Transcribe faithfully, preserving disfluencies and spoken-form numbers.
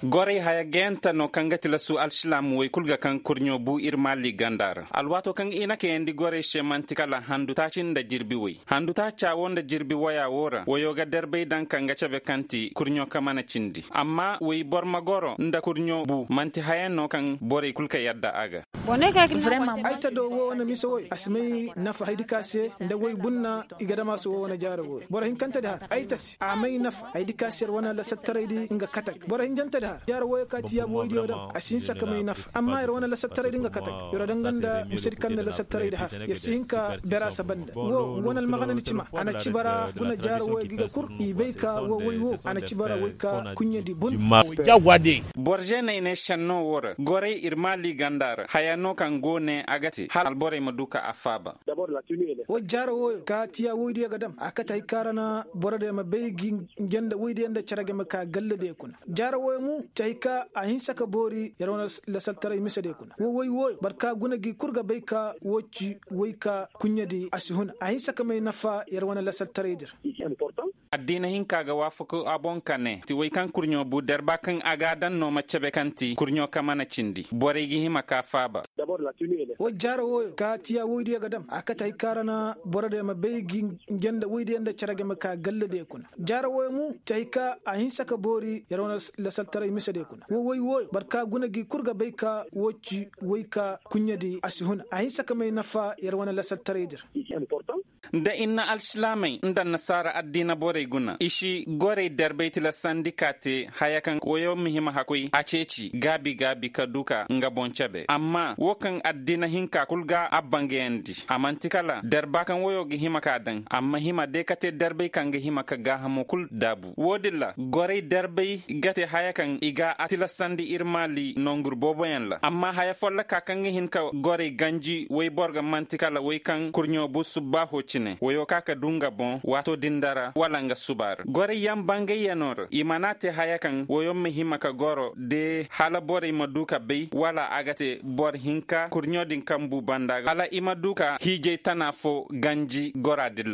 Gorey haya gayante no kaŋ ga tilasu alsilaam woy kul ga kaŋ kurɲo bu ir maali ganda ra alwaato kaŋ i na kayandi gorey se man'ti kala handu taaci nda jirbi woy handu taaca wo nda jirbi woya wo ra woyo ga darbay daŋ kaŋ ga cabe kaŋ ti kurɲo ka mana cindi amma woy boro ma goro nda kurɲo bu man'ti haya no kaŋ borey kul ka yadda a ga. Ay ta do wo wane mise woy a si may nafa haydi ka se nda woy bunna i ga dama se wo wane jaaro woy boro hinkante di har ay ta se a may nafa haydi ka se yer wane lasaltaraydi nga katak boro hinjante di har jaaro woyo ka ti yaabu woydiyo daŋ a si hinsa ka may nafa amma yer wane lasaltaraydi nga katak yer daŋ nga nda misedi kaŋ na lasaltaraydi har yer si hin ka bera saba nda wo wane almaganandi cima a na cibara guna jaaro woyo ga i ga kur i bay ka wo woy wo a na cibara woy ka kuɲɲedi bun. Boro zeeney ne šenno wo ra gorey ir maali ganda ra haya no kaŋ go ne a ga te hala alborey ma du ka a faaba. Wo jaaro woyo ka tiya woydiyo ga dam a kate hay ka ra na borodiyo ma bay gi nge nda woydiyo nda cere ga ma ka galladiyo kuna jaaro woyo mo ci hay ka a hinsa ka boori yer wane lasaltaray misediyo kuna wo woy woyo boro ka guna gi kul ga bay ka wo ci woy ka kuɲɲedi a si huna a hinsa ka may nafa yer wane lasaltaraydi ra. Addiina hinka ga waafaku a boŋ ka ne ti woy kaŋ kurɲo bu darba kaŋ a ga a daŋ no ma cabe kaŋ ti kurɲo ka mana cindi borey ga hima ka faaba. Wo jaaro woyo ka tiya woydiyo ga dam a kate hay ka ra na borodiyo ma bay gi nge nda woydiyo nda cere ga ma ka galladiyo kuna jaaro woyo mo ci hay ka a hinsa ka boori yer wane lasaltaray misediyo kuna wo woy woyo boro ka guna gi kul ga bay ka wo ci woy ka kuɲɲedi a si huna a hinsa ka may nafa yer wane lasaltaraydi ra. Nda i na alsilaamey nda annasaara addiina borey guna i si gorey darbey tilasandi ka te haya kaŋ woyo ma hima hakkoy a ceeci gaabi gaabi ka du ka nga boŋ cabe amma wo kaŋ addiina hinka kul ga a bangayandi a man'ti kala darba kaŋ woyo ga hima ka daŋ amma hima de ka te darbey kaŋ ga hima ka gaahamo kul daabu wo- din ra gorey darbey ga te haya kaŋ i ga a tilasandi ir maali nongur booboyaŋ ra amma haya folloka kaŋ ga hin ka gorey ganji woy boro ga man'ti kala woy kaŋ kurɲo bu subbaaho cine woyo ka ka du nga boŋ waato din da ra wala nga suba ra gorey yaŋ bangayyanoo ra i mana te haya kaŋ woyo ma hima ka goro de hala borey ma du ka bay wala a ga te boro hinka kurɲo din kaŋ bu banda hala i ma du ka hiijay tana fo ganji gora din ra.